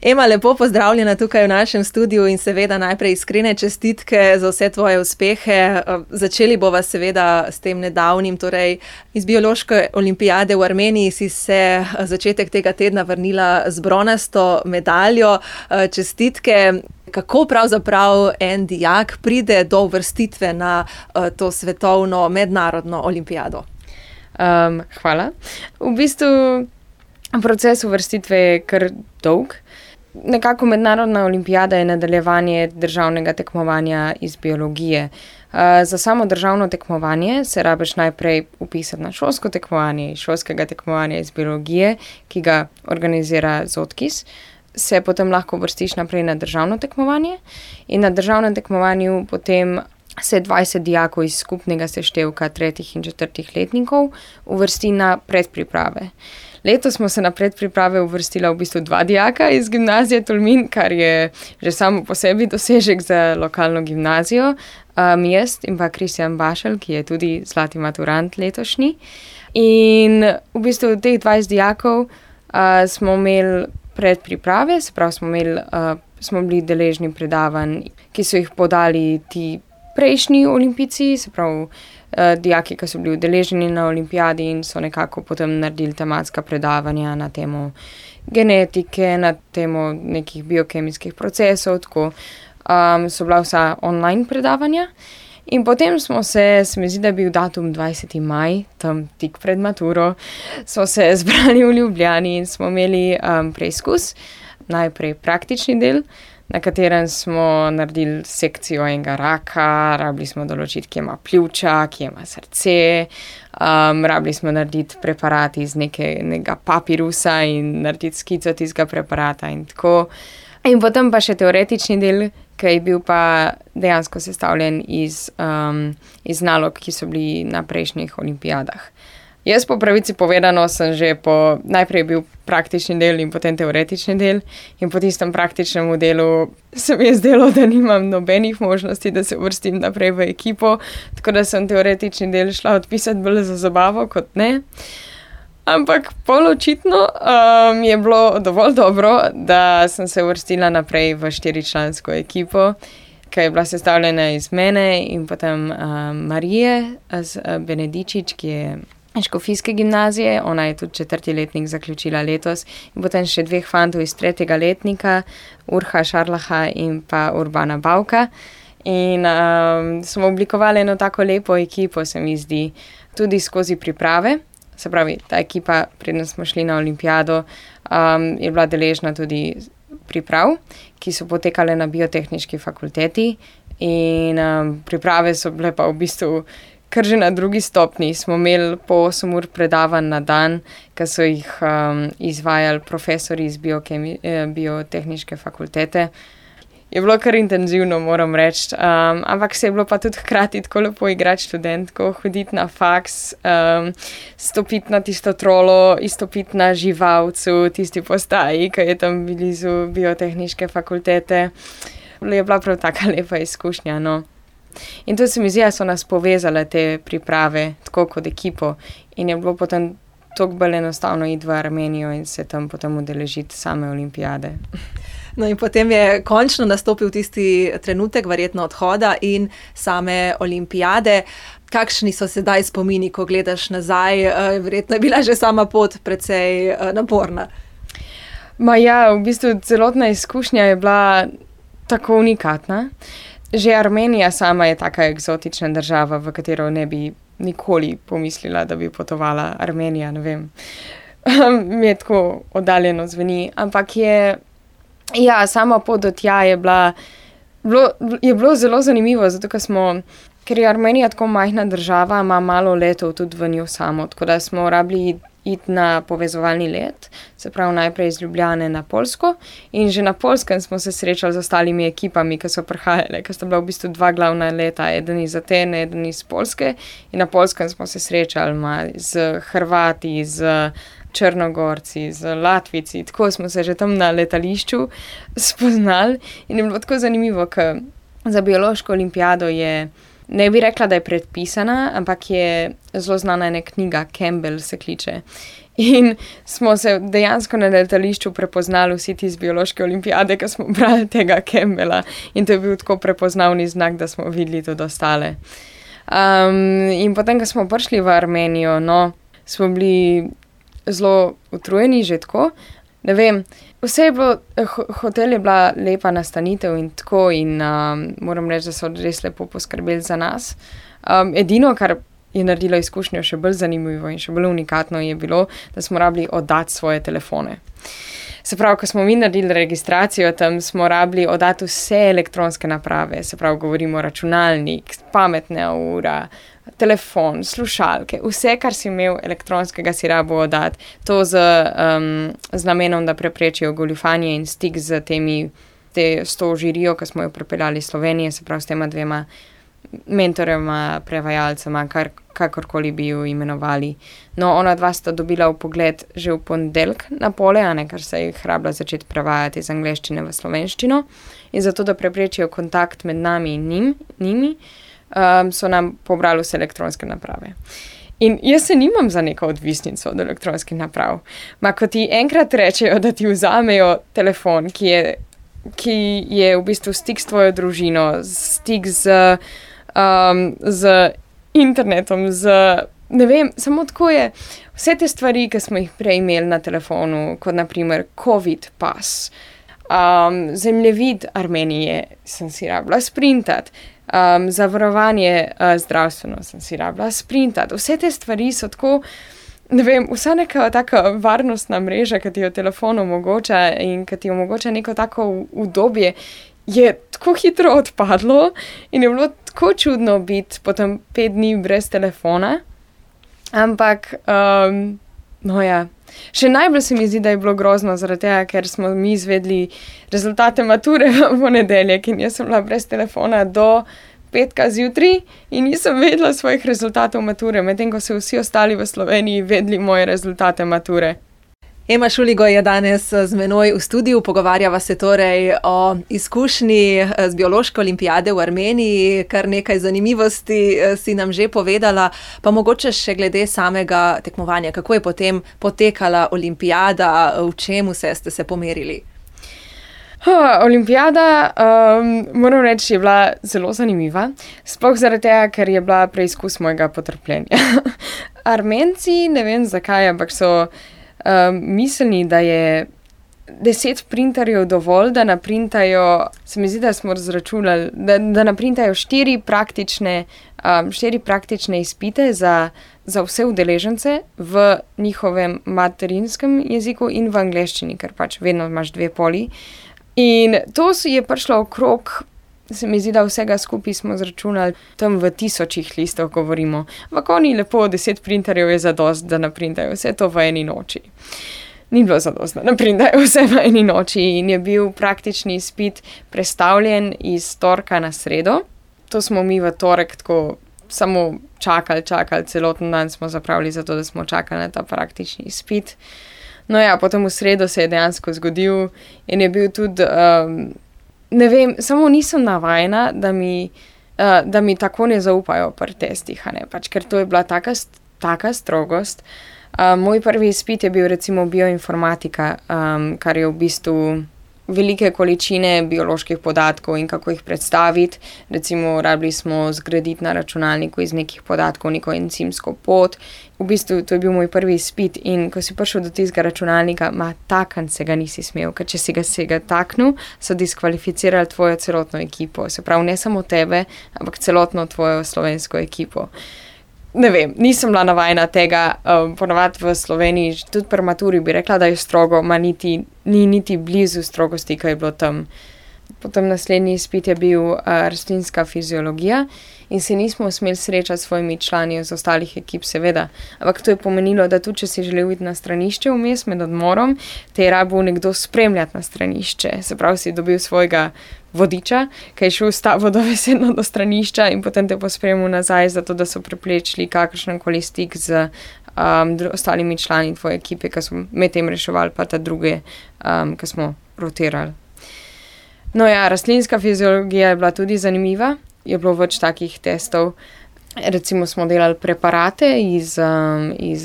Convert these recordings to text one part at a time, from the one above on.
Ema, lepo pozdravljena tukaj v našem studiu in seveda najprej iskrene čestitke za vse tvoje uspehe. Začeli bova seveda s tem nedavnim, torej iz biološke olimpijade v Armeniji si se začetek tega tedna vrnila z bronasto medaljo. Čestitke. Kako pravzaprav en dijak pride do uvrstitve na to svetovno mednarodno olimpijado? Hvala. V bistvu proces uvrstitve je kar dolg. Nekako mednarodna olimpijada je nadaljevanje državnega tekmovanja iz biologije. Za samo državno tekmovanje se rabiš najprej vpisati na šolsko tekmovanje iz šolskega tekmovanja iz biologije, ki ga organizira ZOTKIS. Se potem lahko vrstiš naprej na državno tekmovanje in na državnem tekmovanju potem se 20 dijakov iz skupnega seštevka 3. in 4. letnikov uvrsti na predpriprave. Letos smo se na predpriprave uvrstila v bistvu 2 dijaka iz gimnazije Tolmin, kar je že samo po sebi dosežek za lokalno gimnazijo. Jaz in pa Kristjan Bašelj, ki je tudi zlati maturant letošnji. In v bistvu teh 20 dijakov smo imeli predpriprave, se pravi smo bili deležni predavanj, ki so jih podali ti prejšnji olimpijci, se pravi dijaki, ki so bili udeleženi na olimpijadi in so nekako potem naredili tematska predavanja na temo genetike, na temo nekih biokemijskih procesov, tako so bila vsa online predavanja. In potem smo se mi zdi, da je bil datum 20. maj, tam tik pred maturo, smo se zbrali v Ljubljani in smo imeli preizkus, najprej praktični del, na katerem smo naredili sekcijo enega raka, rabili smo določiti, kje ima pljuča, kje ima srce, rabili smo narediti preparat iz nekega papirusa in narediti skico tistega preparata in tako. In potem pa še teoretični del, ki je bil pa dejansko sestavljen iz nalog, ki so bili na prejšnjih olimpijadah. Jaz po pravici povedano sem že najprej bil praktični del in potem teoretični del in po tistem praktičnem delu se mi je zdelo, da nimam nobenih možnosti, da se uvrstim naprej v ekipo, tako da sem teoretični del šla odpisati bolj za zabavo kot ne. Ampak poločitno je bilo dovolj dobro, da sem se uvrstila naprej v 4-člansko ekipo, ki je bila sestavljena iz mene in potem Marije Benedičič, ki je škofijske gimnazije, ona je tudi 4. letnik zaključila letos in potem še 2 fantov iz 3. letnika, Urha Šarlaha in pa Urbana Bavka. In smo oblikovali eno tako lepo ekipo, se mi zdi, tudi skozi priprave. Se pravi, ta ekipa, preden smo šli na olimpijado, je bila deležna tudi priprav, ki so potekale na biotehniški fakulteti in priprave so bile pa v bistvu kar že na 2. stopnji. Smo imeli po 8 ur predavanj na dan, ki so jih izvajali profesori iz biotehniške fakultete. Je bilo kar intenzivno, moram reči, ampak se je bilo pa tudi hkrati tako lepo igrati študentko, hoditi na faks, stopiti na tisto trolo, izstopiti na Živalcu, tisti postaji, ki je tam blizu biotehniške fakultete. Je bila prav taka lepa izkušnja, no. In to se mi zdi, da so nas povezale te priprave, tako kot ekipo, in je bilo potem toliko bolj enostavno iti v Armenijo in se tam potem udeležiti same olimpijade. No in potem je končno nastopil tisti trenutek, verjetno odhoda in same olimpijade. Kakšni so sedaj spomini, ko gledaš nazaj? Verjetno je bila že sama pot precej naporna. V bistvu celotna izkušnja je bila tako unikatna. Že Armenija sama je taka eksotična država, v katero ne bi nikoli pomislila, da bi potovala. Armenija, ne vem, mi je tako oddaljeno zveni, ampak sama pot do tja je bilo zelo zanimivo, zato ker je Armenija tako majhna država, ima malo letov tudi v njo samo, tako da smo rabili iti na povezovalni let, se pravi najprej iz Ljubljane na Poljsko in že na Poljskem smo se srečali z ostalimi ekipami, ki so prihajale, ker sta bila v bistvu 2 glavna leta, eden iz Atene, eden iz Poljske in na Poljskem smo se srečali z Hrvati, z Črnogorci, z Latvijci, tako smo se že tam na letališču spoznali in je bilo tako zanimivo, ker za biološko olimpijado ne bi rekla, da je predpisana, ampak je zelo znana ena knjiga, Campbell se kliče. In smo se dejansko na letališču prepoznali vsi ti z biološke olimpijade, ki smo brali tega Campbella. In to je bil tako prepoznavni znak, da smo videli tudi ostale. In potem, ko smo prišli v Armenijo, smo bili zelo utrujeni že tako. Ne vem, vse je bilo, hotel je bila lepa nastanitev in tako in moram reči, da so res lepo poskrbeli za nas. Edino, kar je naredilo izkušnjo še bolj zanimivo in še bolj unikatno je bilo, da smo rabili oddati svoje telefone. Se pravi, ko smo mi naredili registracijo, tam smo rabili oddati vse elektronske naprave, se pravi, govorimo računalnik, pametna ura, telefon, slušalke, vse, kar si imel elektronskega, si rabo oddati. To z namenom, da preprečijo goljufanje in stik z s to žirijo, ki smo jo pripeljali iz Slovenije, se pravi, s tema dvema mentorjema, prevajalcema, kakorkoli bi jo imenovali. No, ona dva sta dobila vpogled že v ponedeljek na pole, ker se jih rabila začeti prevajati iz angleščine v slovenščino. In zato, da preprečijo kontakt med nami in njimi, so nam pobrali vse elektronske naprave. In jaz se nimam za neko odvisnico od elektronskih naprav. Ko ti enkrat rečejo, da ti vzamejo telefon, ki je v bistvu stik s tvojo družino, stik z internetom, ne vem, samo tako je. Vse te stvari, ki smo jih prej imeli na telefonu, kot naprimer COVID pas, zemljevid Armenije sem si rabila sprintati, zavarovanje zdravstveno sem si rabila sprintati. Vse te stvari so tako, ne vem, vsa neka taka varnostna mreža, ki ti jo telefon omogoča in ki ti omogoča neko tako udobje, je tako hitro odpadlo in je bilo tako čudno biti potem 5 dni brez telefona. Ampak, še najbolj se mi zdi, da je bilo grozno zaradi tega, ker smo mi izvedli rezultate mature v ponedeljek in jaz sem bila brez telefona do petka zjutraj in nisem vedela svojih rezultatov mature, medtem ko so vsi ostali v Sloveniji vedeli moje rezultate mature. Ema Šuligoj je danes z menoj v studiu, pogovarjava se torej o izkušnji z biološke olimpijade v Armeniji, kar nekaj zanimivosti si nam že povedala, pa mogoče še glede samega tekmovanja, kako je potem potekala olimpijada, v čem vse ste se pomerili? Olimpijada, moram reči, je bila zelo zanimiva, sploh zaradi tega, ker je bila preizkus mojega potrpljenja. Armenci, ne vem zakaj, ampak so mislili, da je 10 printerjev dovolj, da naprintajo, se mi zdi, da smo razračunali, da naprintajo 4 praktične izpite za vse udeležence v njihovem materinskem jeziku in v angleščini, ker pač vedno imaš 2 poli. In to je prišlo okrog, se mi zdi, da vsega skupaj smo zračunali, tam v 1000 listov govorimo. Ampak oni lepo, 10 printerjev je zadost, da naprintajo vse to v eni noči. Ni bilo zadost, da naprintajo vse v eni noči in je bil praktični izpit prestavljen iz torka na sredo. To smo mi v torek tako samo čakali, celoten dan smo zapravili za to, da smo čakali na ta praktični izpit. No ja, potem v sredo se je dejansko zgodil in je bil tudi, ne vem, samo nisem navajena, da mi tako ne zaupajo pri testih, pač, ker to je bila taka strogost. Moj prvi izpit je bil recimo bioinformatika, kar je v bistvu velike količine bioloških podatkov in kako jih predstaviti. Recimo, rabili smo zgraditi na računalniku iz nekih podatkov neko encimsko pot. V bistvu, to je bil moj prvi izpit in ko si prišel do tistega računalnika, takniti se ga nisi smel, ker če si ga taknil, so diskvalificirali tvojo celotno ekipo. Se pravi, ne samo tebe, ampak celotno tvojo slovensko ekipo. Ne vem, nisem bila navajena tega, ponovadi v Sloveniji, tudi pri maturi bi rekla, da je strogo, ni niti blizu strogosti, ki je bilo tam. Potem naslednji izpit je bil rastlinska fiziologija in se nismo smeli srečati s svojimi člani iz ostalih ekip, seveda. Ampak to je pomenilo, da tudi če si želel iti na stranišče vmes med odmorom, te je rabil nekdo spremljati na stranišče. Se pravi, si dobil svojega vodiča, ki je šel s tabo dobesedno do stranišča in potem te pospremil nazaj, zato da so preplečili kakršenkoli stik z ostalimi člani tvoje ekipe, ki so med tem reševali, pa ta druge, ki smo rotirali. No ja, rastlinska fiziologija je bila tudi zanimiva, je bilo več takih testov. Recimo smo delali preparate iz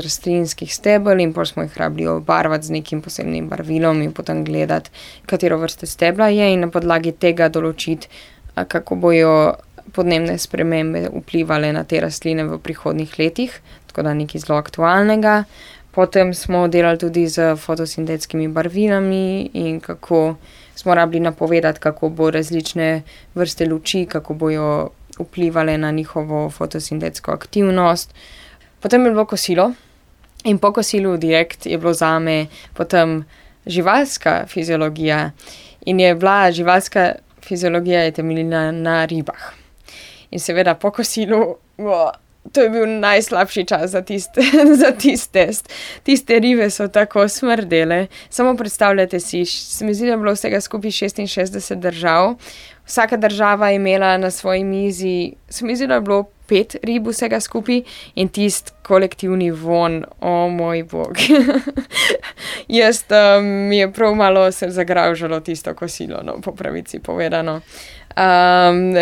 rastlinskih stebel in potem smo jih rabili obarvati z nekim posebnim barvilom in potem gledati, katero vrste stebla je in na podlagi tega določiti, kako bojo podnebne spremembe vplivale na te rastline v prihodnjih letih, tako da nekaj zelo aktualnega. Potem smo delali tudi z fotosintetskimi barvilami in kako smo rabili napovedati, kako bo različne vrste luči, kako bojo vplivale na njihovo fotosintetsko aktivnost. Potem je bilo kosilo in po kosilu direkt je bilo zame potem živalska fiziologija in je bila živalska fiziologija je temeljila na ribah. In seveda po kosilu, to je bil najslabši čas za tisti test. Tiste ribe so tako smrdele. Samo predstavljate si, se mi zdi, da je bilo vsega skupaj 66 držav. Vsaka država je imela na svoji mizi, se mi zdi, da je bilo 5 rib vsega skupaj in tisti kolektivni von, moj bog. Jaz mi je prav malo se zagravžalo tisto kosilo, no, po pravici povedano.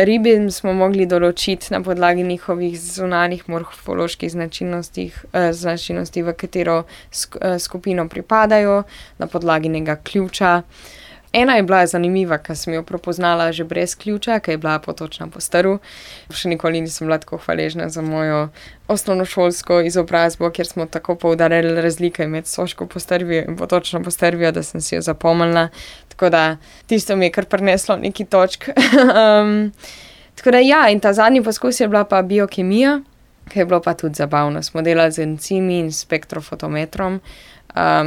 Ribe smo mogli določiti na podlagi njihovih zunanjih morfoloških značilnosti, v katero skupino pripadajo, na podlagi njega ključa. Ena je bila zanimiva, ker sem jo prepoznala že brez ključa, ker je bila potočna po strvu. Še nikoli nisem bila tako hvaležna za mojo osnovnošolsko izobrazbo, kjer smo tako poudarjali razlike med soško postrvijo in potočno postrvijo, da sem si jo zapomnila. Tako da tisto mi je kar prineslo neki točk. Tako da ja, in ta zadnji poskus je bila pa biokemija, ki je bilo pa tudi zabavno. Smo delali z encimi in spektrofotometrom.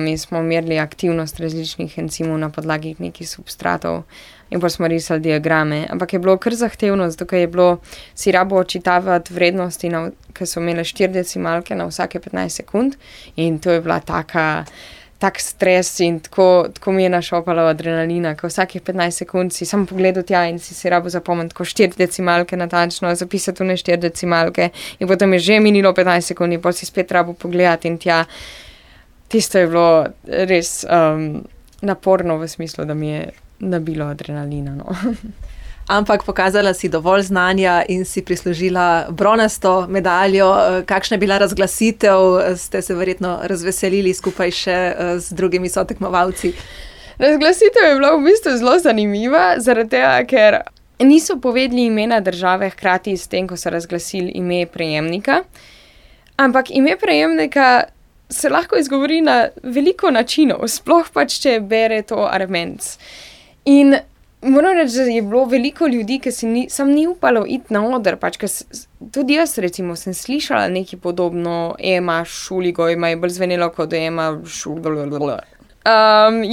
In smo merili aktivnost različnih encimov na podlagi nekih substratov in pa smo risali diagrame. Ampak je bilo kar zahtevno, zato ker je bilo si rabo očitavati vrednosti, ki so imele 4 decimalke na vsake 15 sekund in to je bila tak stres in tako mi je našopalo adrenalina, ker vsakih 15 sekund si samo pogledal tja in si rabo zapomniti, ko 4 decimalke natančno, zapisati ne 4 decimalke in potem je že minilo 15 sekund in potem si spet rabo pogledati in tja. Tisto je bilo res naporno v smislu, da mi je nabilo adrenalina. No. Ampak pokazala si dovolj znanja in si prislužila bronasto medaljo. Kakšna je bila razglasitev? Ste se verjetno razveselili skupaj še z drugimi sotekmovalci? Razglasitev je bila v bistvu zelo zanimiva, zaradi tega, ker niso povedali imena države hkrati s tem, ko so razglasili ime prejemnika. Ampak ime prejemnika se lahko izgovori na veliko načinov, sploh pač, če bere to Armenc. In moram reči, da je bilo veliko ljudi, ki sam ni upalo iti na oder, pač, tudi jaz recimo sem slišala nekaj podobno, Ema Šuligo, ima je bolj zvenelo kot Ema Šuligo.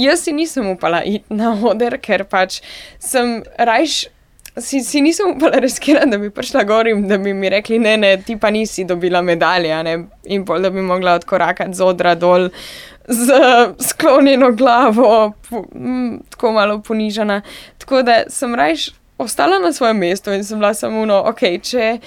Jaz si nisem upala iti na oder, ker pač sem rajš Si nisem upala riskirati, da bi prišla gor in da bi mi rekli, ne, ti pa nisi dobila medalje, ne? In pol, da bi mogla odkorakati z odra dol z sklonjeno glavo, tako malo ponižana. Tako da sem rajš ostala na svojem mestu in sem bila samo če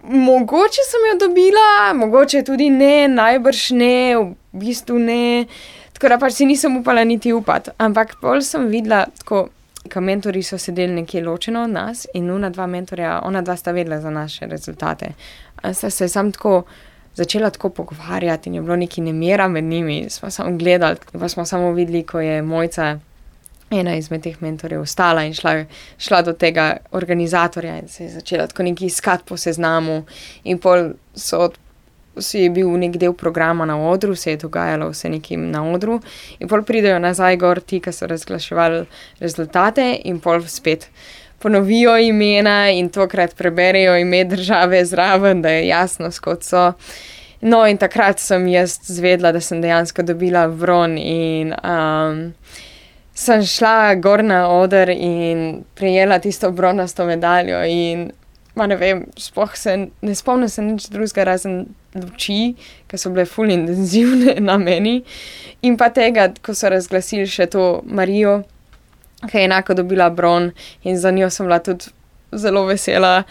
mogoče sem jo dobila, mogoče tudi ne, najbrž ne, v bistvu ne. Tako da pač si nisem upala niti upati, ampak pol sem videla tako, ka mentori so sedeli nekje ločeno od nas in ona dva sta vedela za naše rezultate. Sta se sam tako začela tako pogovarjati in je bilo nekaj nemira med njimi. Smo samo gledali, pa smo samo videli, ko je Mojca, ena izmed teh mentorjev, ostala in šla do tega organizatorja in se je začela tako nekaj iskati po seznamu in pol si je bil nek del programa na odru, se je dogajalo vse nekim na odru in pol pridejo nazaj gor ti, ki so razglaševali rezultate in pol spet ponovijo imena in tokrat preberejo ime države zraven, da je jasno, skot so. No in takrat sem jaz zvedla, da sem dejansko dobila bron in sem šla gor na oder in prejela tisto bronasto medaljo in ne vem, sploh ne spomnim se nič drugega razen luči, ki so bile ful intenzivne na meni in pa tega, ko so razglasili še to Marijo, ki je enako dobila bron in za njo sem bila tudi zelo vesela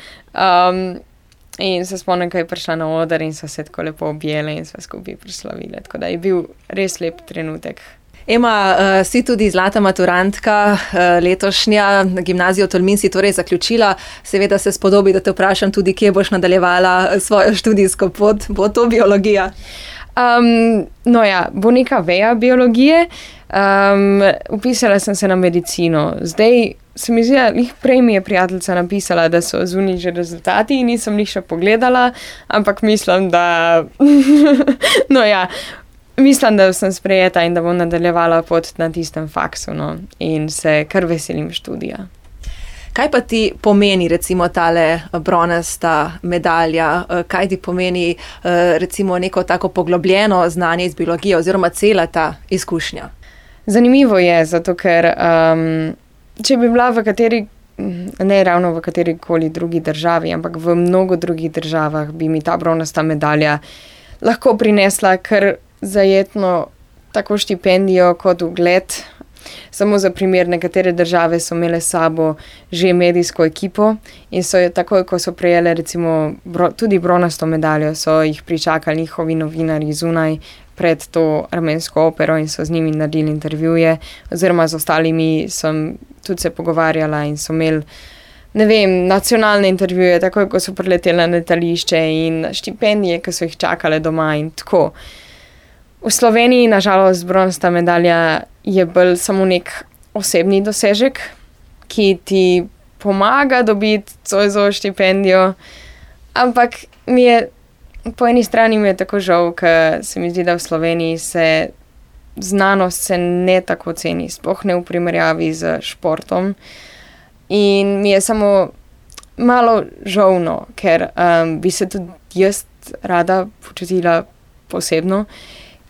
in se spomnim, ko je prišla na oder in so se tako lepo objele in so skupaj proslavile, tako da je bil res lep trenutek. Ema, si tudi zlata maturantka letošnja, gimnazijo Tolmin si torej zaključila. Seveda se spodobi, da te vprašam tudi, kje boš nadaljevala svojo študijsko pot. Bo to biologija? Bo neka veja biologije. Vpisala sem se na medicino. Zdaj se mi zdi, da prej mi je prijateljica napisala, da so zunaj že rezultati in nisem jih še pogledala, ampak mislim, da mislim, da sem sprejeta in da bom nadaljevala pot na tistem faksu, in se kar veselim študija. Kaj pa ti pomeni recimo tale bronasta medalja? Kaj ti pomeni recimo neko tako poglobljeno znanje iz biologije oziroma cela ta izkušnja? Zanimivo je, zato ker če bi bila ne ravno v katerikoli drugi državi, ampak v mnogo drugih državah bi mi ta bronasta medalja lahko prinesla kar zajetno tako štipendijo kot ugled. Samo za primer, nekatere države so imele s sabo že medijsko ekipo in so jo takoj, ko so prejele recimo tudi bronasto medaljo, so jih pričakali njihovi novinarji zunaj pred to armensko opero in so z njimi naredili intervjuje, oziroma z ostalimi sem tudi se pogovarjala in so imeli, nacionalne intervjuje, takoj, ko so prileteli na letališče in štipendije, ki so jih čakale doma in tako. V Sloveniji, nažalost, bronasta medalja je bolj samo nek osebni dosežek, ki ti pomaga dobiti Zoisovo štipendijo, ampak po eni strani mi je tako žal, ker se mi zdi, da v Sloveniji znanost se ne tako ceni, sploh ne v primerjavi z športom. In mi je samo malo žalno, ker bi se tudi jaz rada počutila posebno,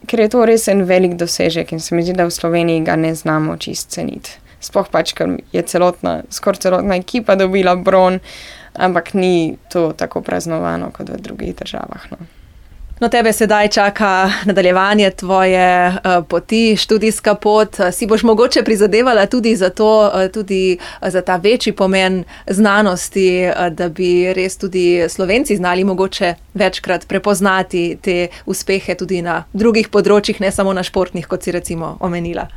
ker je to res en velik dosežek in se mi zdi, da v Sloveniji ga ne znamo čist ceniti. Sploh ker je skoraj celotna ekipa dobila bron, ampak ni to tako praznovano kot v drugih državah. No, tebe sedaj čaka nadaljevanje tvoje poti, študijska pot. Si boš mogoče prizadevala tudi za to, tudi za ta večji pomen znanosti, da bi res tudi Slovenci znali mogoče večkrat prepoznati te uspehe tudi na drugih področjih, ne samo na športnih, kot si recimo omenila.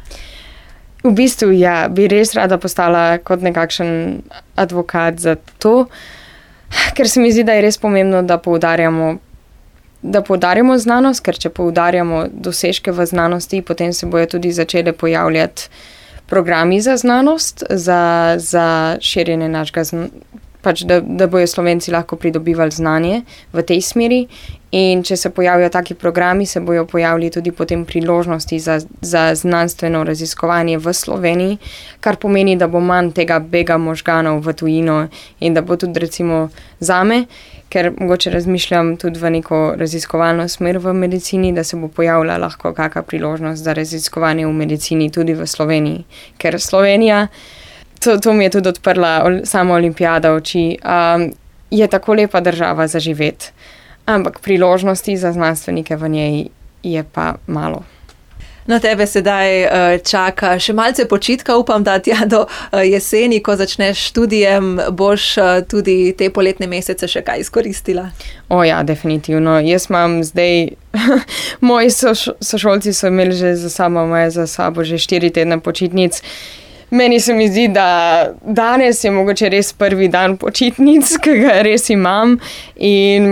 V bistvu, bi res rada postala kot nekakšen advokat za to, ker se mi zdi, da je res pomembno, da poudarjamo znanost, ker če poudarjamo dosežke v znanosti, potem se bojo tudi začele pojavljati programi za znanost, za širjenje našega da bojo Slovenci lahko pridobivali znanje v tej smeri. In če se pojavijo taki programi, se bojo pojavili tudi potem priložnosti za znanstveno raziskovanje v Sloveniji, kar pomeni, da bo manj tega bega možganov v tujino in da bo tudi recimo zame, ker mogoče razmišljam tudi v neko raziskovalno smer v medicini, da se bo pojavila lahko kakšna priložnost za raziskovanje v medicini tudi v Sloveniji. Ker Slovenija, to mi je tudi odprla sama olimpijada oči, je tako lepa država za živeti. Ampak priložnosti za znanstvenike v njej je pa malo. No, tebe sedaj čaka še malce počitka, upam, da tja do jeseni, ko začneš študijem, boš tudi te poletne mesece še kaj izkoristila? Definitivno. Jaz imam zdaj, moji sošolci so imeli že za sabo že 4 tedne počitnic. Meni se mi zdi, da danes je mogoče res prvi dan počitnic, ki ga res imam in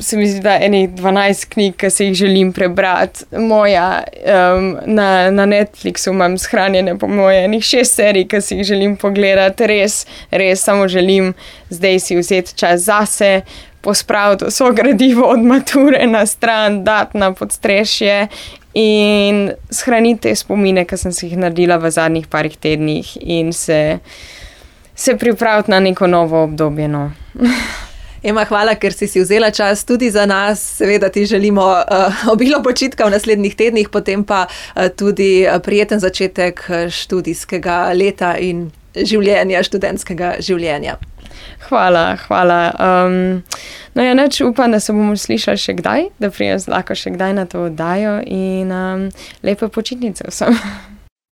se mi zdi, da enih 12 knjig, ki se jih želim prebrati. Na Netflixu imam shranjene po moje enih 6 serij, ki si jih želim pogledati. Res samo želim zdaj si vzeti čas zase, pospraviti vso gradivo od mature na stran, dati na podstrešje in shraniti te spomine, ki sem si jih naredila v zadnjih parih tednih in se pripraviti na neko novo obdobje. Ema, hvala, ker si vzela čas tudi za nas. Seveda ti želimo obilo počitka v naslednjih tednih, potem pa tudi prijeten začetek študijskega leta in študentskega življenja. Hvala. Upam, da se bomo slišali še kdaj, da pridem lahko še kdaj na to oddajo in lepe počitnice vsem.